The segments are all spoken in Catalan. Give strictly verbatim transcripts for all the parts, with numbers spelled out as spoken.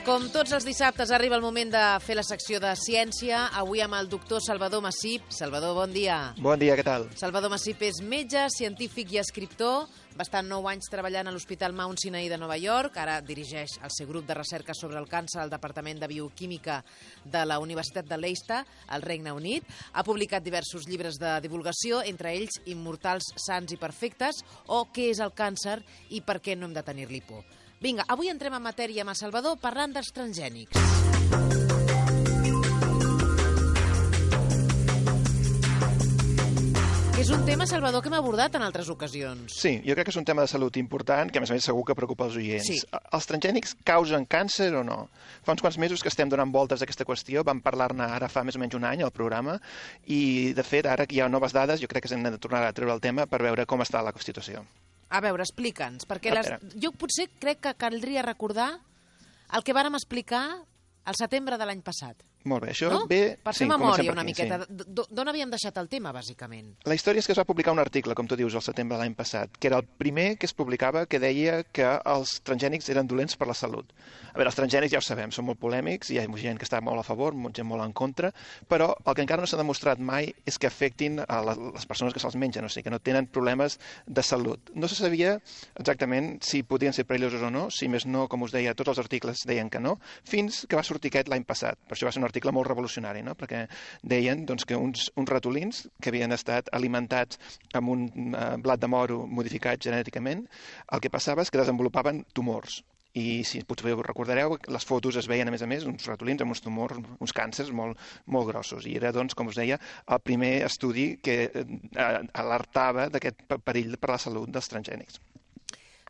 Com tots els dissabtes arriba el moment de fer la secció de ciència, avui amb el doctor Salvador Massip. Salvador, bon dia. Bon dia, què tal? Salvador Massip és metge, científic i escriptor. Va estar nou anys treballant a l'Hospital Mount Sinai de Nova York. Ara dirigeix el seu grup de recerca sobre el càncer al Departament de Bioquímica de la Universitat de Leicester, al Regne Unit. Ha publicat diversos llibres de divulgació, entre ells Immortals, sants i perfectes, o Què és el càncer i per què no hem de tenir-li por. Vinga, avui entrem en matèria amb el Salvador parlant dels transgènics. És un tema, Salvador, que hem abordat en altres ocasions. Sí, jo crec que és un tema de salut important, que a més a més segur que preocupa els oients. Sí. Els transgènics causen càncer o no? Fa uns quants mesos que estem donant voltes a aquesta qüestió, vam parlar-ne ara fa més o menys un any al programa, i de fet, ara que hi ha noves dades, jo crec que s'hem de tornar a treure el tema per veure com està la situació. A veure, explica'ns, perquè les... jo potser crec que caldria recordar el que vàrem explicar al setembre de l'any passat. Molt bé, això no? ve... Per fer sí, memòria per una aquí, miqueta. Sí. D'on havíem deixat el tema, bàsicament? La història és que es va publicar un article, com tu dius, al setembre de l'any passat, que era el primer que es publicava que deia que els transgènics eren dolents per la salut. A veure, els transgènics ja ho sabem, són molt polèmics, hi ha gent que està molt a favor, gent molt en contra, però el que encara no s'ha demostrat mai és que afectin a les persones que se'ls mengen, o sigui, que no tenen problemes de salut. No se sabia exactament si podien ser perillosos o no, si més no, com us deia, tots els articles deien que no, fins que va sortir aquest l'any passat. Per això va ser un article molt revolucionari. No? Perquè deien doncs, que uns, uns ratolins que havien estat alimentats amb un uh, blat de moro modificat genèticament, el que passava és que desenvolupaven tumors. I si potser us recordareu, les fotos es veien, a més a més, uns ratolins amb uns tumors, uns càncers molt, molt grossos. I era, doncs, com us deia, el primer estudi que eh, alertava d'aquest perill per a la salut dels transgènics.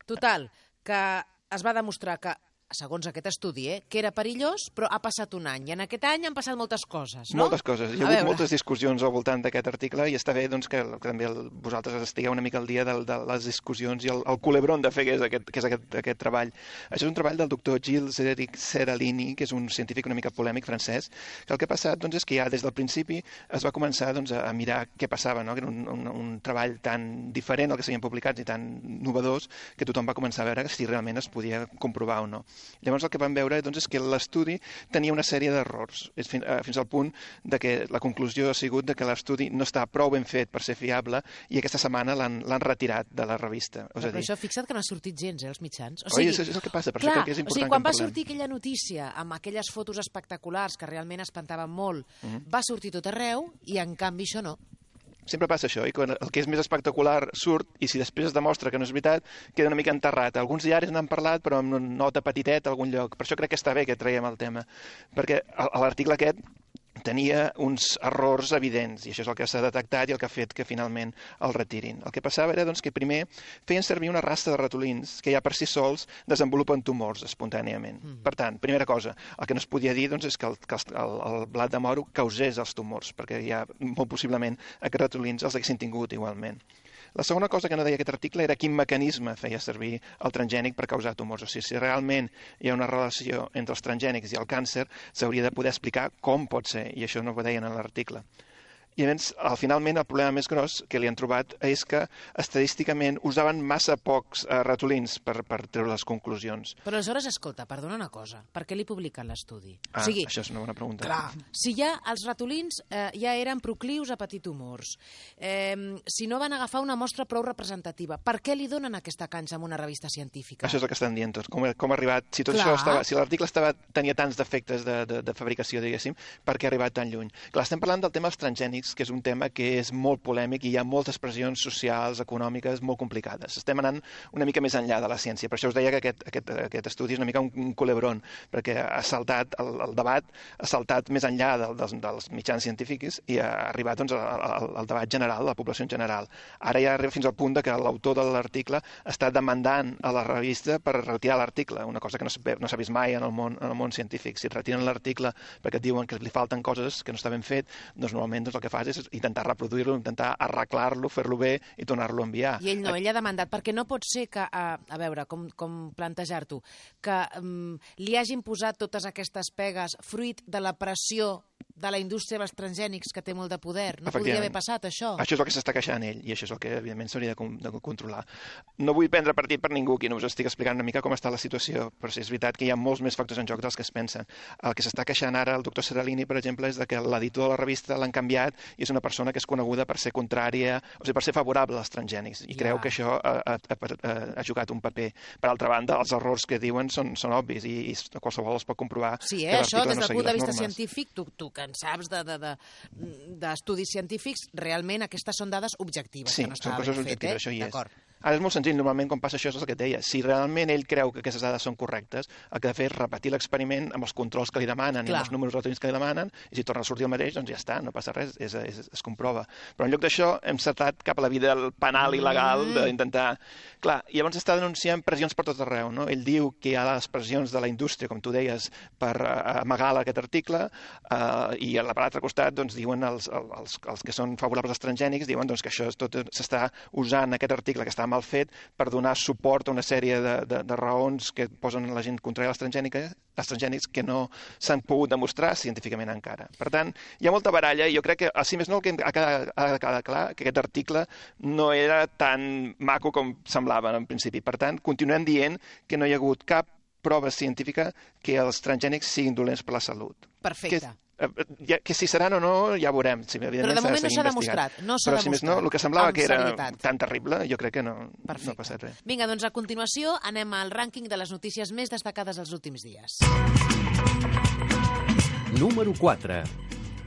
Total, que es va demostrar que segons aquest estudi, eh, que era perillós, però ha passat un any. I en aquest any han passat moltes coses, no? Moltes coses. Hi ha hagut moltes discussions al voltant d'aquest article i està bé doncs, que, que també el, vosaltres estigueu una mica al dia de, de les discussions i el, el culebron de fer que és, aquest, que és aquest, aquest treball. Això és un treball del doctor Gilles Seralini, que és un científic una mica polèmic francès, que el que ha passat doncs, és que ja des del principi es va començar doncs, a mirar què passava, no? Que era un, un, un treball tan diferent al que s'havien publicat i tan novedós que tothom va començar a veure si realment es podia comprovar o no. Llavors el que vam veure doncs, és que l'estudi tenia una sèrie d'errors, fins, fins al punt de que la conclusió ha sigut de que l'estudi no està prou ben fet per ser fiable i aquesta setmana l'han retirat de la revista. Però, però això, fixa't que no ha sortit gens, eh, els mitjans. O sigui, Oi, és, és el que passa, per clar, això crec que és important. O sigui, quan va sortir aquella notícia amb aquelles fotos espectaculars que realment espantaven molt, uh -huh. va sortir tot arreu i en canvi això no. Sempre passa això, i quan el que és més espectacular surt i si després es demostra que no és veritat, queda una mica enterrat. Alguns diaris n'han parlat, però amb una nota petiteta a algun lloc. Per això crec que està bé que traiem el tema, perquè l'article aquest tenia uns errors evidents, i això és el que s'ha detectat i el que ha fet que finalment el retirin. El que passava era doncs, que primer feien servir una raça de ratolins que ja per si sols desenvolupen tumors espontàniament. Mm. Per tant, primera cosa, el que no es podia dir doncs, és que, el, que el, el blat de moro causés els tumors, perquè ja molt possiblement aquests ratolins els haguessin tingut igualment. La segona cosa que no deia aquest article era quin mecanisme feia servir el transgènic per causar tumors. O sigui, si realment hi ha una relació entre els transgènics i el càncer, s'hauria de poder explicar com pot ser, i això no ho deien en l'article. I llavors, al, finalment, el problema més gros que li han trobat és que estadísticament usaven massa pocs eh, ratolins per, per treure les conclusions. Però aleshores, escolta, perdona una cosa, per què li publiquen l'estudi? Ah, o sigui, això és una bona pregunta. Clar, si ja els ratolins eh, ja eren proclius a patir tumors, eh, si no van agafar una mostra prou representativa, per què li donen aquesta canxa en una revista científica? Això és el que estan dient tots, com, com ha arribat, si tot Clar. això estava, si l'article estava, tenia tants defectes de, de, de fabricació, diguéssim, per què ha arribat tan lluny? Clar, estem parlant del tema dels transgènics, que és un tema que és molt polèmic i hi ha moltes pressions socials, econòmiques, molt complicades. Estem anant una mica més enllà de la ciència. Per això us deia que aquest, aquest, aquest estudi és una mica un, un culebron, perquè ha saltat el, el debat, ha saltat més enllà del, dels, dels mitjans científics i ha arribat doncs, al, al, al debat general, a la població en general. Ara ja arriba fins al punt de que l'autor de l'article està demandant a la revista per retirar l'article, una cosa que no s'ha no vist mai en el, món, en el món científic. Si et retiren l'article perquè et diuen que li falten coses que no està ben fet, doncs normalment doncs, el que fas és intentar reproduir-lo, intentar arreglar-lo, fer-lo bé i tornar-lo a enviar. I ell no, ell ha demandat, perquè no pot ser que, a, a veure, com, com plantejar-t'ho, que um, li hagin posat totes aquestes pegues fruit de la pressió de la indústria dels transgènics que té molt de poder. No podria haver passat, això. Això és el que s'està queixant ell, i això és el que, evidentment, s'hauria de, de controlar. No vull prendre partit per ningú, qui no us estic explicant una mica com està la situació, però sí, és veritat que hi ha molts més factors en joc dels que es pensen. El que s'està queixant ara el doctor Seralini, per exemple, és de que l'editor de la revista l'han canviat i és una persona que és coneguda per ser contrària, o sigui, per ser favorable als transgènics, i ja. creu que això ha, ha, ha, ha jugat un paper. Per altra banda, els errors que diuen són, són obvis, i, i qualsevol els pot comprovar. Sí, eh? Això, des del punt de vista científic, tu, tu que en saps de, de, d'estudis de, científics, realment aquestes són dades objectives. Sí, que no són coses objectives, eh? Això hi és. D'acord. Ara és molt senzill, normalment quan passa això és el que et deia. Si realment ell creu que aquestes dades són correctes, el que ha de fer és repetir l'experiment amb els controls que li demanen, Clar. i amb els números relatius que li demanen, i si torna a sortir el mateix, doncs ja està, no passa res, és, és, es comprova. Però en lloc d'això hem saltat cap a la vida penal i legal mm. d'intentar... Clar, i llavors està denunciant pressions per tot arreu, no? Ell diu que hi ha les pressions de la indústria, com tu deies, per uh, amagar aquest article, uh, i a l'altre costat doncs, diuen els, els, els que són favorables als transgènics, diuen doncs, que això és tot s'està usant aquest article que està mal fet per donar suport a una sèrie de, de, de raons que posen la gent contra els transgènics, els transgènics que no s'han pogut demostrar científicament encara. Per tant, hi ha molta baralla i jo crec que, si més no, el que ha de quedar clar que aquest article no era tan maco com semblava en principi. Per tant, continuem dient que no hi ha hagut cap prova científica que els transgènics siguin dolents per la salut. Perfecte. Que, que si seran o no, ja veurem. Sí, però de moment no s'ha demostrat. No s'ha Però si més no, el que semblava que era serietat. tan terrible, jo crec que no, no ha passat res. Vinga, doncs a continuació anem al rànquing de les notícies més destacades els últims dies. Número quatre.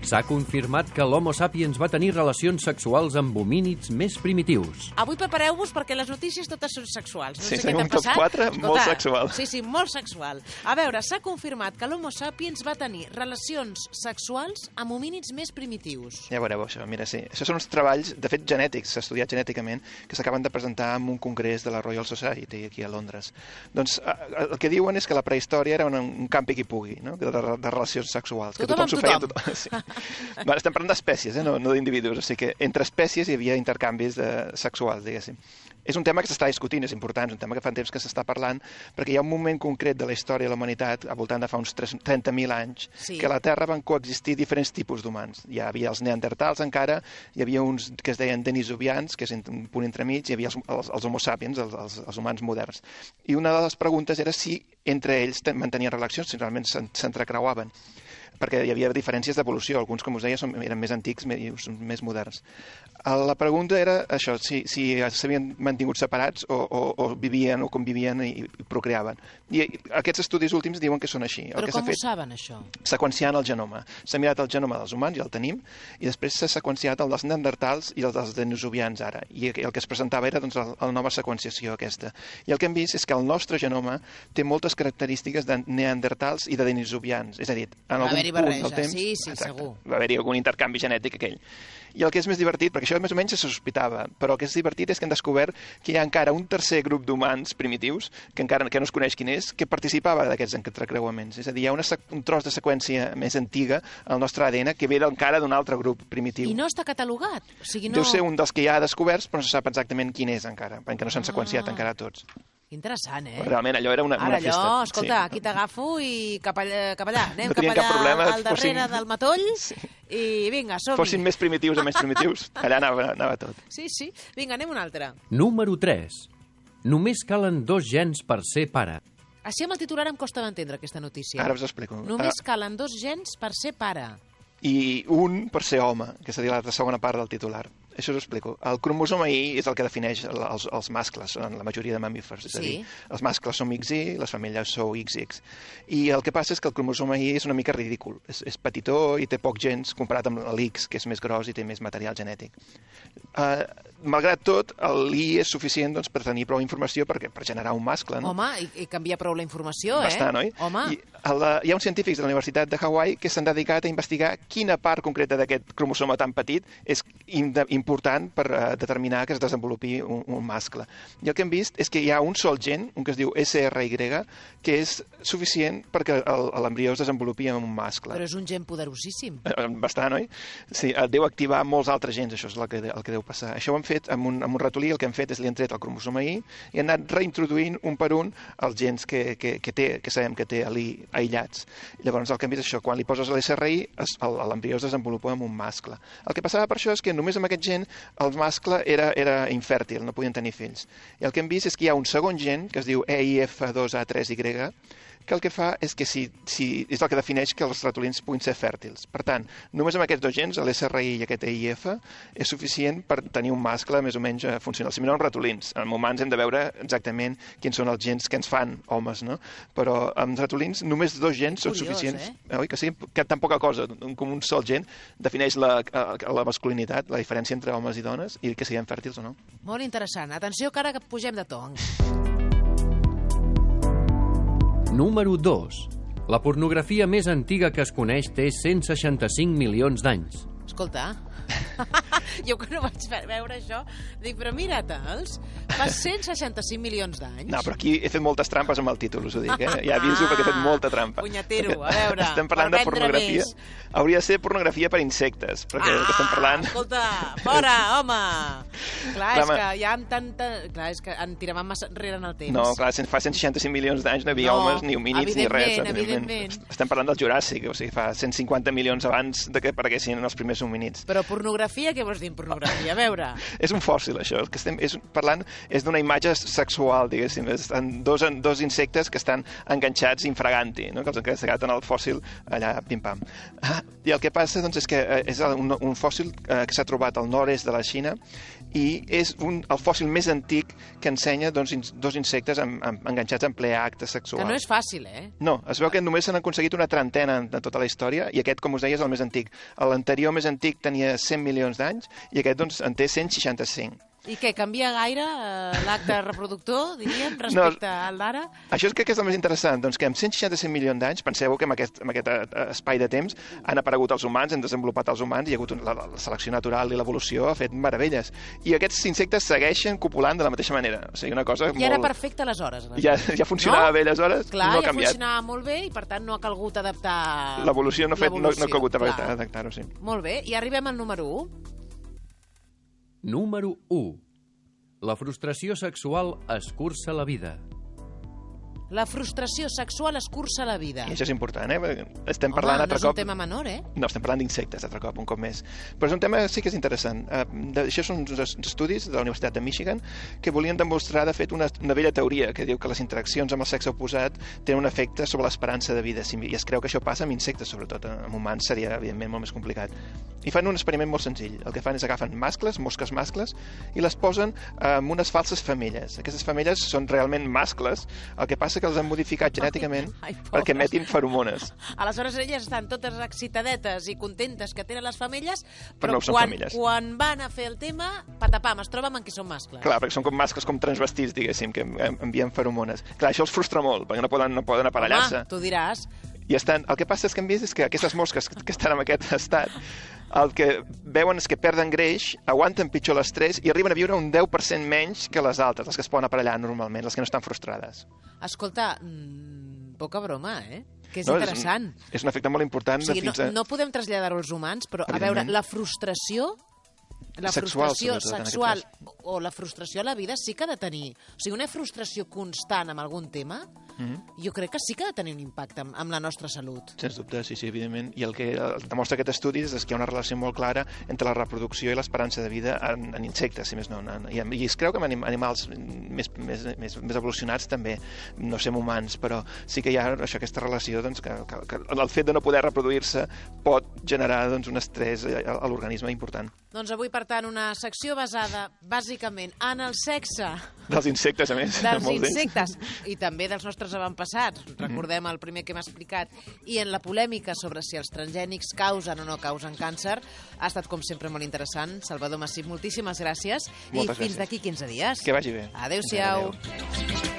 S'ha confirmat que l'Homo sapiens va tenir relacions sexuals amb homínids més primitius. Avui prepareu-vos perquè les notícies totes són sexuals. No sí, sé què t'ha passat. quatre, Escolta, molt sexual. Sí, sí, molt sexual. A veure, s'ha confirmat que l'Homo sapiens va tenir relacions sexuals amb homínids més primitius. Ja veureu això, mira, sí. Això són uns treballs, de fet, genètics, estudiats genèticament, que s'acaben de presentar en un congrés de la Royal Society aquí a Londres. Doncs el que diuen és que la prehistòria era un, un campi qui pugui, no? de, de, de relacions sexuals. Tothom que tothom amb tothom. tothom. Sí. Bueno, estem parlant d'espècies, eh? no, no d'individus, o sigui que entre espècies hi havia intercanvis de, sexuals, diguéssim. És un tema que s'està discutint, és important, és un tema que fa temps que s'està parlant, perquè hi ha un moment concret de la història de la humanitat, al voltant de fa uns trenta mil anys, sí. que a la Terra van coexistir diferents tipus d'humans. Hi havia els neandertals encara, hi havia uns que es deien denisovians, que és un punt entremig, hi havia els, els, els homo sapiens, els, els, els humans moderns. I una de les preguntes era si entre ells mantenien relacions, si realment s'entrecreuaven, perquè hi havia diferències d'evolució. Alguns, com us deia, són, eren més antics i més moderns. La pregunta era això, si, si s'havien mantingut separats o, o, o vivien o convivien i, i procreaven. I aquests estudis últims diuen que són així. Però el que com fet, ho saben, això? Seqüenciant el genoma. S'ha mirat el genoma dels humans, ja el tenim, i després s'ha seqüenciat el dels neandertals i el dels denisovians ara. I el que es presentava era doncs, la nova seqüenciació aquesta. I el que hem vist és que el nostre genoma té moltes característiques de neandertals i de denisovians. És a dir, en algun barreja, temps, sí, sí, exacte, segur. Va haver-hi algun intercanvi genètic aquell. I el que és més divertit, perquè això més o menys se sospitava, però el que és divertit és que han descobert que hi ha encara un tercer grup d'humans primitius, que encara que no es coneix quin és, que participava d'aquests entrecreuaments. És a dir, hi ha una, un tros de seqüència més antiga al nostre A D N que ve encara d'un altre grup primitiu. I no està catalogat? O sigui, no... Deu ser un dels que ja ha descoberts, però no se sap exactament quin és encara, perquè no s'han ah. seqüenciat encara tots. Interessant, eh? Realment, allò era una, Ara una festa. Ara allò, escolta, sí. Aquí t'agafo i cap allà, cap allà. Anem no cap allà problema, al darrere fossin... del matoll sí. I vinga, som-hi. Fossin més primitius o menys primitius, allà anava, anava tot. Sí, sí. Vinga, anem un altre. Número tres. Només calen dos gens per ser pare. Així amb el titular em costa d'entendre aquesta notícia. Ara us explico. Només calen dos gens per ser pare. I un per ser home, que seria la segona part del titular. Això us ho explico. El cromosoma Y és el que defineix els, els mascles en la majoria de mamífers. És a dir, sí. Els mascles som X Y, les femelles sou X X. I el que passa és que el cromosoma Y és una mica ridícul. És, és petitó i té poc gens comparat amb l'X, que és més gros i té més material genètic. Uh, malgrat tot, l'I és suficient doncs, per tenir prou informació per, per generar un mascle. No? Home, i, i canvia prou la informació, eh? Bastant, oi? Home. I el, hi ha uns científics de la Universitat de Hawaii que s'han dedicat a investigar quina part concreta d'aquest cromosoma tan petit és important per uh, determinar que es desenvolupi un, un mascle. I el que hem vist és que hi ha un sol gen, un que es diu S R Y, que és suficient perquè l'embrió es desenvolupi en un mascle. Però és un gen poderosíssim. Bastant, oi? Sí, deu activar molts altres gens, això és el que, el que deu passar. Això ho han fet, amb un, amb un ratolí, el que han fet és li han tret el cromosoma I i han anat reintroduint un per un els gens que, que, que té, que sabem que té allí aïllats. Llavors, el canvi és això, quan li poses l'S R I, l'embrió es desenvolupa amb un mascle. El que passava per això és que només amb aquest gen el mascle era, era infèrtil, no podien tenir fills. I el que hem vist és que hi ha un segon gen, que es diu E I F dos A tres Y, que el que fa és que si, si, és el que defineix que els ratolins puguin ser fèrtils. Per tant, només amb aquests dos gens, l'S R I i aquest E I F, és suficient per tenir un mascle més o menys funcional. Si mirem els ratolins, en humans hem de veure exactament quins són els gens que ens fan homes, no? Però amb ratolins només dos gens són Curiós, suficients. Eh? Oi que sí? Que tan poca cosa, com un sol gen, defineix la, la masculinitat, la diferència entre homes i dones, i que siguem fèrtils o no. Molt interessant. Atenció, que ara que pugem de to. Número dos. La pornografia més antiga que es coneix té cent seixanta-cinc milions d'anys. Escolta, jo que no vaig veure això, dic, però mira-te'ls, fa cent seixanta-cinc milions d'anys. No, però aquí he fet moltes trampes amb el títol, us ho dic, eh? Ja aviso perquè he fet molta trampa. Punyetero, a veure, estem parlant per de pornografia. Més. Hauria de ser pornografia per insectes, perquè ah, estem parlant... escolta, fora, home! Clar, clar, és que ja amb tanta... Clar, és que en tiràvem massa enrere en el temps. No, clar, fa cent seixanta-cinc milions d'anys no hi havia no, homes, ni homínids, ni res. Evidentment, evidentment. Estem parlant del Juràssic, o sigui, fa cent cinquanta milions abans de que apareguessin els primers homínids. Però pornografia, què vols dir en pornografia? A veure... És un fòssil, això. El que estem és parlant és d'una imatge sexual, diguéssim. Estan dos, dos insectes que estan enganxats infraganti, no? Que els han quedat en el fòssil allà, pim-pam. Ah, I el que passa doncs, és que és un, un fòssil eh, que s'ha trobat al nord-est de la Xina i és un, el fòssil més antic que ensenya doncs, in, dos insectes en, en, enganxats en ple acte sexual. Que no és fàcil, eh? No, es veu que només s'han aconseguit una trentena en, en tota la història i aquest, com us deia, és el més antic. L'anterior més antic tenia cent milions d'anys i aquest doncs, en té cent seixanta-cinc. I què, canvia gaire eh, l'acte reproductor, diríem, respecte no, al d'ara? Això és crec que és el més interessant, doncs que amb cent seixanta-cinc milions d'anys, penseu que en aquest, en aquest espai de temps han aparegut els humans, han desenvolupat els humans, hi ha hagut la, la selecció natural i l'evolució ha fet meravelles. I aquests insectes segueixen copulant de la mateixa manera. O sigui, una cosa I molt... era perfecte aleshores. Ja, ja funcionava no? bé aleshores, Clar, no ha ja canviat. funcionava molt bé i per tant no ha calgut adaptar... L'evolució no, fet, no, no ha calgut adaptar-ho, sí. Molt bé, i arribem al número u. Número u. La frustració sexual escurça la vida. La frustració sexual escurça la vida. I això és important, eh? Estem Home, parlant no altre és cop... un tema menor, eh? No, estem parlant d'insectes, altre cop, un cop més. Però és un tema sí que és interessant. Uh, de, això són uns estudis de la Universitat de Michigan que volien demostrar, de fet, una, una vella teoria que diu que les interaccions amb el sexe oposat tenen un efecte sobre l'esperança de vida. I es creu que això passa amb insectes, sobretot. Amb humans seria, evidentment, molt més complicat. I fan un experiment molt senzill. El que fan és agafen mascles, mosques mascles, i les posen amb unes falses femelles. Aquestes femelles són realment mascles, el que passa que els han modificat genèticament ai, ai, perquè emetin feromones. Aleshores elles estan totes excitadetes i contentes que tenen les femelles, però, però no quan, femelles. quan van a fer el tema, patapam, es troben amb que són mascles. Clar, perquè són com mascles com transvestits, diguéssim, que envien feromones. Clar, això els frustra molt, perquè no poden, no poden aparellar-se. Home, tu diràs. I estan, el que passa és que hem vist és que aquestes mosques que estan en aquest estat, el que veuen és que perden greix, aguanten pitjor l'estrès i arriben a viure un deu per cent menys que les altres, les que es poden aparellar normalment, les que no estan frustrades. Escolta, mmm, poca broma, eh? Que és no, interessant. És un, és un efecte molt important. O sigui, de fins no, a... no podem traslladar-ho als humans, però, a veure, la frustració... La sexual, frustració sexual o la frustració a la vida sí que ha de tenir... O sigui, una frustració constant amb algun tema, mm-hmm. jo crec que sí que ha de tenir un impacte amb, amb la nostra salut. Sens dubte, sí, sí, evidentment. I el que demostra aquest estudi és que hi ha una relació molt clara entre la reproducció i l'esperança de vida en, en insectes, si més no. En, i, I es creu que en animals més, més, més, més evolucionats també, no som humans, però sí que hi ha això, aquesta relació doncs, que, que, que el fet de no poder reproduir-se pot generar doncs, un estrès a, a l'organisme important. Doncs avui, per tant, una secció basada bàsicament en el sexe. Dels insectes, a més. Dels insectes. I també dels nostres avantpassats. Recordem el primer que hem explicat. I en la polèmica sobre si els transgènics causen o no causen càncer. Ha estat, com sempre, molt interessant. Salvador Massip, moltíssimes gràcies. Moltes I fins d'aquí quinze dies. Que vagi bé. Adéu-siau. Adéu.